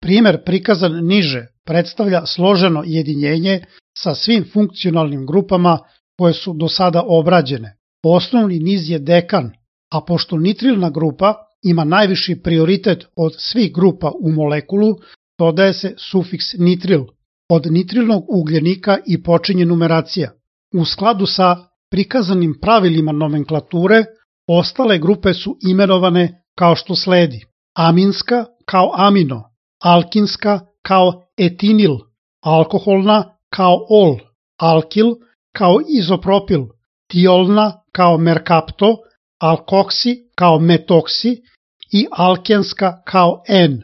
Primer prikazan niže predstavlja složeno jedinjenje sa svim funkcionalnim grupama koje su do sada obrađene. Osnovni niz je dekan, a pošto nitrilna grupa ima najviši prioritet od svih grupa u molekulu, dodaje se sufiks nitril. Od nitrilnog ugljenika i počinje numeracija. U skladu sa prikazanim pravilima nomenklature, ostale grupe su imenovane kao što sledi: aminska kao amino, alkinska kao etinil, alkoholna kao ol, alkil kao izopropil, tiolna kao merkapto, alkoksi kao metoksi i alkenska kao en.